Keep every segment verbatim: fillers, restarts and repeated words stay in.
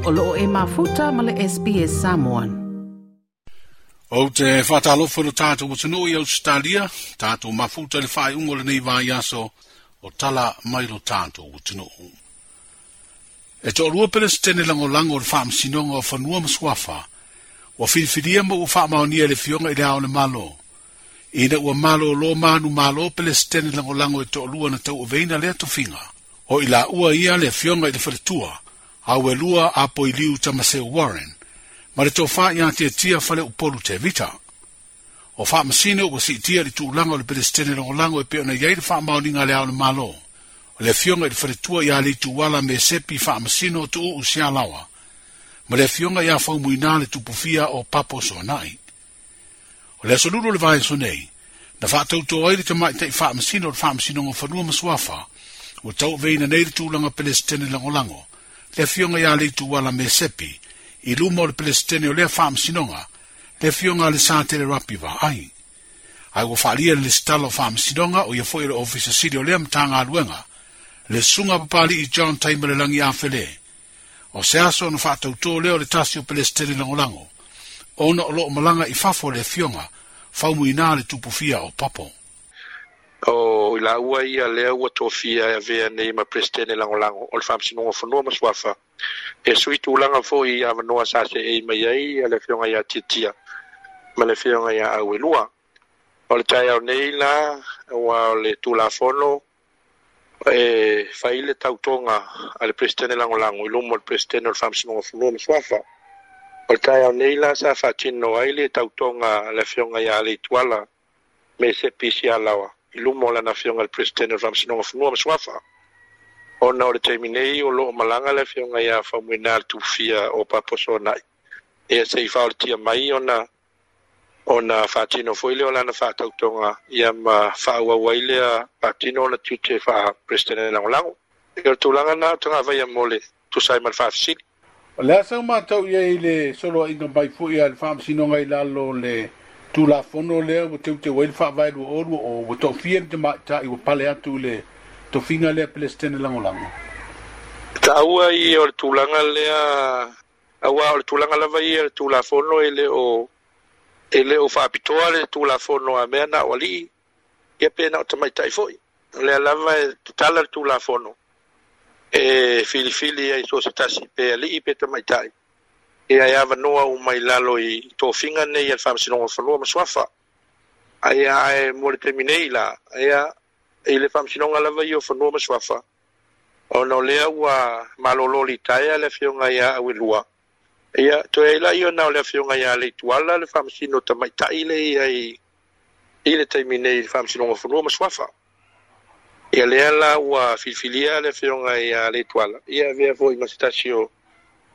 O loo e mafuta ma le S B S Samoan. O te whātalofa lo tātou atunuu i Australia, tātou mafuta le whaeungo le nei vai aso o tala mai lo tātou atunuu. E to'alua Pelestene langolango o le faamasinoga o Fanua ma Suafa, ua filifilia ma ua faamaonia le fioga i le ao le malo. Ina ua malo lo manu malo Pelestene langolango e to'alua na tauaveina lea tofiga. O i la ua ia le fioga i le faletua, au e lua apo i liu Tamaseu Warren, ma le tofā ia tiatia fale upolu te vita. O faamasino ua siitia le tulaga o le Pelestene langolango e pei ona i ai le faamaoniga le ao le malo. O le afioga i le faletua ia Leituala me sepi faamasino tuuu sialawa, ma le afioga ia faumuina le tupufia o Papo Soanai. O le aso lulu le vaiaso nei, na faatautoa ai le tamaitai faamasino o le faamasinoga o Fanua ma Suafa, ua tauaveina nei le tulaga Pelestene langolango, le afioga ia Leituala me sepi, i luma o le Pelestene o lea faamasinoga, le afioga a le Satele Rapi Vaai. Ai ua faalia le lesitala o faamasinoga o ia foi o le ofisa sili o lea matagaluega, le susuga papali'i John Taimalelagi Afele. O se aso ona faatautō lea o le tasi o Pelestene langolango, ona o loo malaga i fafo le afioga, faumuina le tupufia o Papo. O i la ua ia lea ua tofia e avea nei ma Pelestene langolango o le faamasinoga o Fanua ma Suafa. E sui tulaga foi i avanoa sa seei mai ai le afioga ia Tiatia ma le afioga ia Auelua. O le taeao nei la ua o le Tulafono e fai le tautoga a le Pelestene langolango i luma o le Pelestene o le faamasinoga o Fanua ma Suafa. O le taeao nei la sa faatino ai le tautoga a le afioga ia Leituala me sepi sialawa i luma o lana afioga le Pelestene o le faamasinoga o Fanua ma Suafa. Ona o le taimi nei o loo malaga le afioga ia Faumuina le tufia o Papo Soanai. Ia sei faolatia mai ona ona faatino foi lea o lana faatautoga ia ma faaauau ai lea faatino ona tiute faa-Pelestene langolango. O le tulaga na o tagavaia mo le tusa ai ma le faafesili. O le asa o matau ia i le soloaiga mai foi a le faamasinoga i lalo le Tulafono lea ua teuteu ai le faavae lua o lua o ua toafia le tamaitai ua pale atu i le tofiga lea Pelestene langolango. Taua ia o le tulaga lea, aua o le tulaga lava ia le Tulafono e le o e le o faapitoa le Tulafono a mea na o alii, ia pe na o tamaitai foi. O lea lava e tatala le Tulafono e filifili ai so se tasi pe alii pe tamaitai. Ia e avanoa uma i lalo i tofiga nei a le faamasinoga o Fanua ma Suafa. Aia ae mo le taimi nei la, aia i le faamasinoga lava ia o Fanua ma Suafa, ona o lea ua malolo litaea le afioga ia Auelua. Ia toe ai la ia na o le afioga ia Leituala le faamasino tamaitai le ia i i le taimi nei i le faamasinoga o Fanua ma Suafa. Ia lea la ua filifilia le afioga ia Leituala, ia avea foi ma se tasi o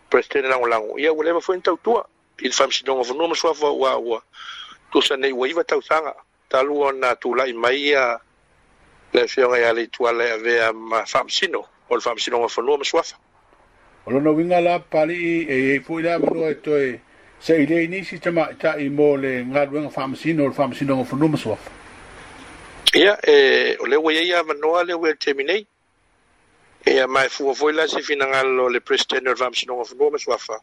Pelestene langolango. Ia ua leva foi na tautua i le faamasinoga o Fanua ma Suafa ua ua tusa nei ua iva tausaga talu ona tulai mai ia le afioga ia Leituala e avea ma faamasino o le faamasinoga o Fanua ma Suafa. O lona uiga la papali'i e iai foi le avanoa e toe seilei nisi tamaitai mo le galuega faamasino o le faamasinoga o Fanua ma Suafa. Ia e o lea ua iai avanoa lea ua i le taimi nei. Ia ma e fua foi la se finagalo le Pelestene o le faamasinoga o Fanua ma Suafa.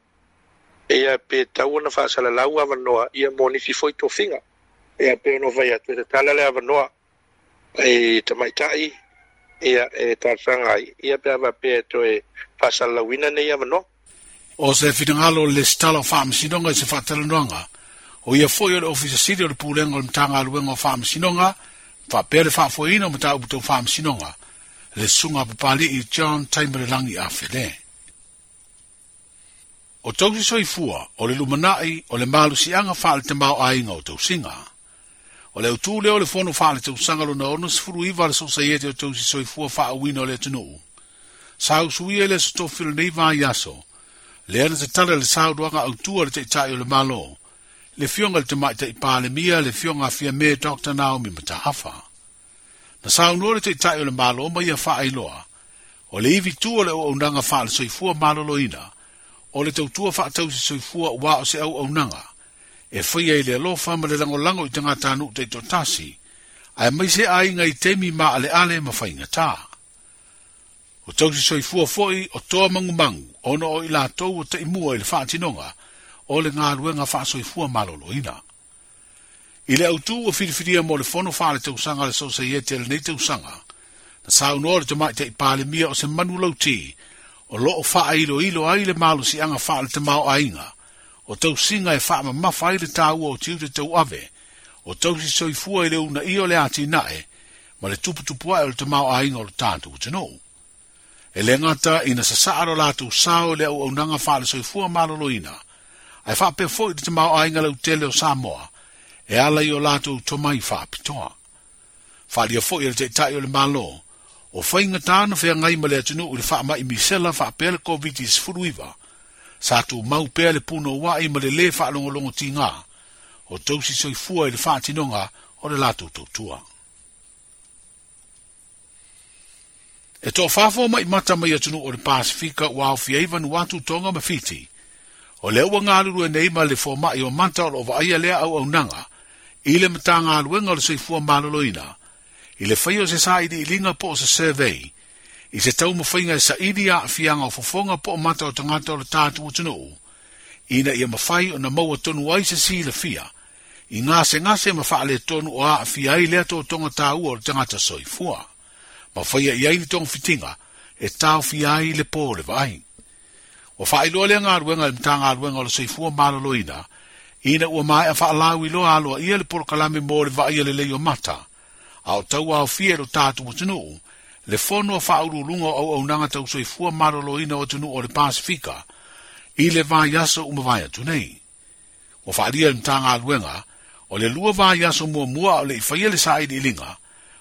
Ia pe tau ona faasalalau avanoa ia mo nisi foi tofiga. Ia pe ono fai atu e tatala le avanoa e tamaitai ia e talosaga ai ia pe a faapea e toe faasalalauina nei avanoa. O se finagalo le lesitala o faamasinoga i se faatalanoaga, o ia foi o le ofisa sili o le pulega o le Matagaluega o Faamasinoga, faapea le faafoeina o mataupu tau faamasinoga, le susuga papali'i John Taimalelagi Afele. O tausi soifua, o le lumanai, o le malusiaga faale-tamaoaiga o tausiga. O le autū lea o le fono faale-tausaga lona ono sefulu iva le Sosaiete o tausi soifua faauuina o le atunuu. Sa usuia le aso tofi o lenei vaiaso, lea na tatala le saunoaga autua le taitai o le Malo, le fioga le tamaitai Palemia, le fioga Fiame Doctor Naomi Mataafa. Na saunoa le taitai o le Malo ma ia faailoa, o le ivi tu o le auaunaga faale-soifua maloloina, o le tautua faatausi soifua ua o se auaunaga, e faia i le alofa ma le langolango i tagatanuu taitoatasi, ae mai se aiga i taimi maaleale ma faigata. O tausi soifua fo'i o toa mangumangu, ona o i latou o taimua i le faatinoga o le galuega faasoifua maloloina. I le autū o filifilia mo le fono faale tausaga le Sosaiete lenei tausaga, na saunoa le tamaitai Palemia o se manu lauti o loo faailoilo ai le malosiaga faale tamaoaiga o tausiga e faamamafa ai le taua o tiute tauave o tausi soifua i le uunaia o le atinae ma le tuputupuae o le tamaoaiga o le tatou atunuu. E le gata ina sasaa lo latou sao i le auaunaga faale soifua maloloina, ae faapea foi le tamaoaiga lautele o Samoa e ala i o latou tomai faapitoa. Faaalia foi e le Taitai o le Malo, o faigata na feagai ma le atunuu i le faamai misela faapea le COVID sefuluiva, sa tumau pea le punouai ma le lē faalogologotiga o tausi soifua i le faatinoga o le latou tautua. E toafā mai mata mai atunuu o le Pasifika ua aofia ai Vanuatu, Tonga ma Fiti. O lea ua galulue nei ma le foma'i o mata o loo vaaia lea auaunaga i le Matagaluega o le Soifua Maloloina, i le faia o se sailiiliga po o se survey, i se taumafaiga e saili aafiaga o fofoga po o mata o tagata o le tatou atunuu, ina ia mafai ona maua tonu ai se silafia, i gasegase ma faaletonu o aafia ai lea totoga taua o le tagata soifua, ma faia i ai ni togafitiga e taofia ai le po o le vaai. Ua faailoa lea galuega i le Matagaluega o le Soifua Maloloina, ina ua maea faalauiloa aloaia le polokalame mo le vaaia lelei o mata, a o tau aofia i lo tatou atunuu, le fono a faauluuluga o auaunaga tau soifua maloloina o atunuu o le Pasifika, i le vaiaso uma vai atu nei. Ua faaalia le Matagaluega, o le lua vaiaso muamua o le i faia le sailiiliga,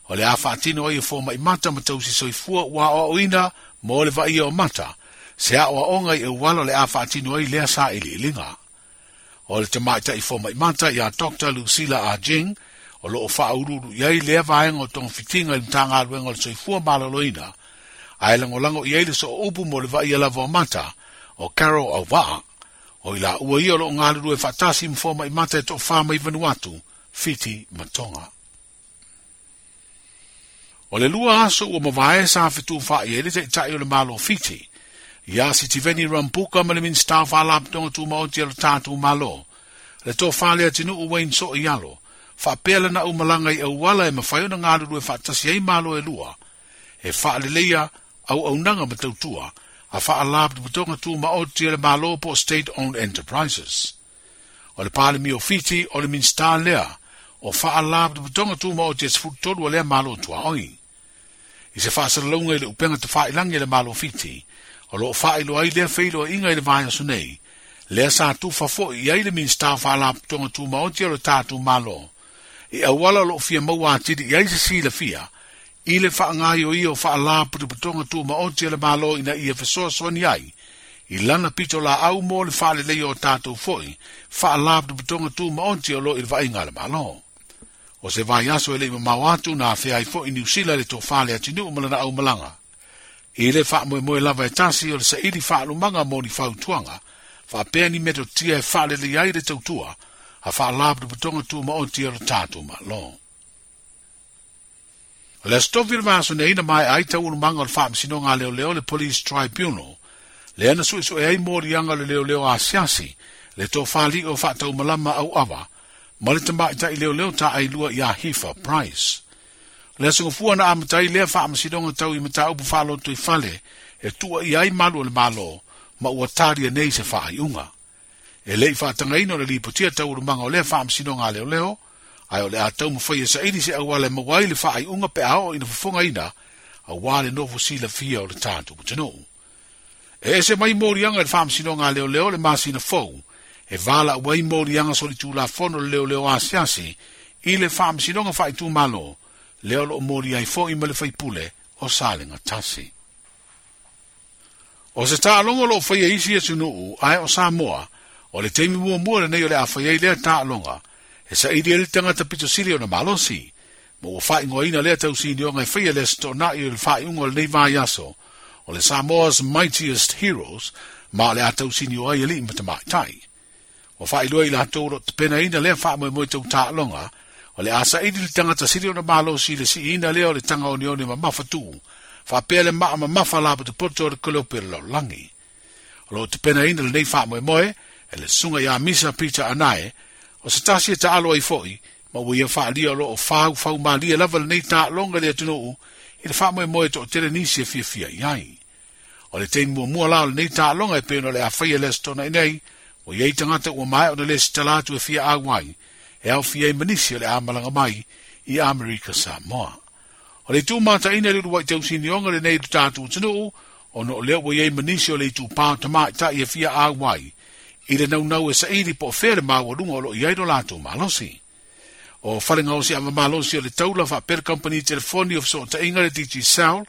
o le a faatino ai e foma'i mata ma tausi soifua ua aoaoina mo le vaaia o mata, se aoaoga i auala o le a faatino ai lea sailiiliga. O le tamaitai foma'i mata ia Doctor Lucila Ajing, o loo faauluulu i ai lea vaega o togafitiga i le Matagaluega o le Soifua Maloloina, ae lagolago i ai le sooupu mo le vaaia lava o mata o Carol Auvaa. O i laua ia o loo galulue faatasi ma foma'i mata e toafā mai Vanuatu, Fiti ma Tonga. O le lua aso ua mavae sa fetufaai ai le Taitai o le Malo Fiti, ia Sitiveni Rambuka ma le Minisita o Faalapotopotoga Tumaoti a lo tatou Malo, le tofā le atunuu Wayne So'ialo, faapea lana aumalaga i auala e mafai ona galulue faatasi ai malo e lua, e faaleleia auaunaga ma tautua a Faalapotopotoga Tumaoti a le Malo po o State-Owned Enterprises. O le Palemia o Fiti o le Minisita lea o Faalapotopotoga Tumaoti e sefulu tolu a lea malo tuaoi. I se faasalalauga i le upega tafailagi e le Malo Fiti, o loo faailoa ai lea feiloaiga i le vaiaso nei, lea sa tufa fo'i i ai le Minisita o Faalapotopotoga Tumaoti o le tatou Malo, i auala o loo fia maua atili i ai se silafia, i le faagaioia o Faalapotopotoga Tumaoti a le Malo ina ia fesoasoani ai, i lana pito laau mo le faaleleia o tatou fo'i Faalapotopotoga Tumaoti o loo i le vaaiga a le Malo. O se vaiaso e lei mamao atu na afea ai fo'i Niu Sila le tofā le atunuu ma lana aumalaga. I le faamoemoe lava e tasi o le saili faalumaga mo ni fautuaga, faapea ni metotia e faalelei ai le tautua a Faalapotopotoga Tumaoti o le tatou Malo. O le aso tofi le vaiaso nei na maea ai taualumaga o le faamasinoga a leoleo le Police Tribunal, lea na suesue ai moliaga o le leoleo asiasi, le tofāli'i o faataumalama auava, ma le tamaitai leoleo taailua ia Hifa Price. O le aso gafua na amata ai lea faamasinoga tau i mataupu faaloto i fale, e tua i ai malu o le Malo, ma ua talia nei se faaiuga. E lei faatagaina o le lipotia taualumaga o lea faamasinoga a leoleo, ae o le a taumafai e saili se auala e maua ai le faaiuga pe a oo ina fofogaina, auā le nofo silafia o le tatou atunuu. E ese mai moliaga i le faamasinoga a leoleo le masina fou, e valaau ai moliaga solitulafono le leoleo asiasi i le faamasinoga faaitumalo, lea o loo moli ai fo'i ma le faipule o Salega Tasi. O se taaloga o loo faia isi atunuu, ae o Samoa, o le taimi muamua lenei o le a fai ai lea taaloga, e saili ai le tagata pitosili ona malosi, ma ua faaigoaina lea tausinioga e faia le aso toonai o le faaiuga o lenei vaiaso, o le Samoa's Mightiest Heroes, ma o le a tausinio ai alii ma tamaitai. Ua faailoa i latou o loo tapenaina lea faamoemoe tau taaloga, o le a saili le tagata sili ona malosi i le siiina lea o le taga oneone mamafatū, Faapea le maa mamafa lapotopoto o le Kolope o le Lalolagi. O loo tapenaina lenei faamoemoe e le susuga ia Misa Peter Anae, o se tasi e taalo ai foi, ma ua ia faalia o loo faufaumalie lava lenei taaloga i le atunuu i le faamoemoe toatele nisi e fiafia i ai. O le taimi muamua la o lenei taaloga e pei ona o le a faia le Aso Toonai nei, ua iai tagata ua maea ona lesitala atu e fia auai, e aofia ai ma nisi o le a malaga mai i Amerika Samoa. O le itu mataina i le uluai tausinioga lenei i lo tatou atunuu, ona o lea ua iai ma nisi o le itupa o tamaitai e fia auai i le naunau e saili po o fea le maualuga o loo i ai lo latou malosi. O falegaosi ava malosi o le taula faapea le kamupani telefoni o fesootaiga le Digicel,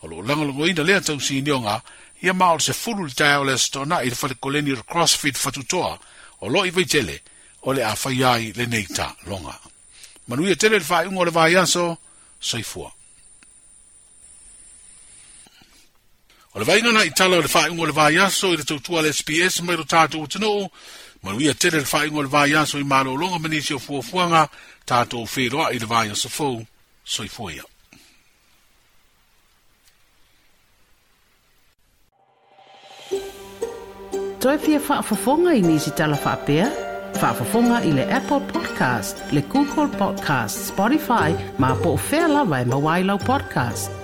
o loo lagolagoina lea tausinioga ia ma o le sefulu le taeao o le Aso Toonai i le fale koleni o le CrossFit Fatutoa o loo i Vaitele o le a faia ai lenei taaloga. Manuia tele le faaiuga o le vaiaso, soifua. O le vaaiga na i tala o le faaiuga o le vaiaso i le tautua a le S B S mai lo tatou atunuu, manuia tele le faaiuga o le vaiaso i malologa ma nisi o fuafuaga, tatou feiloai i le vaiaso fou, soifua ia. Toe fia faafofoga i nisi tala faapea? Faafofoga i le Apple Podcast, le Google Podcast, Spotify, ma po o fea lava e maua ai lau podcast.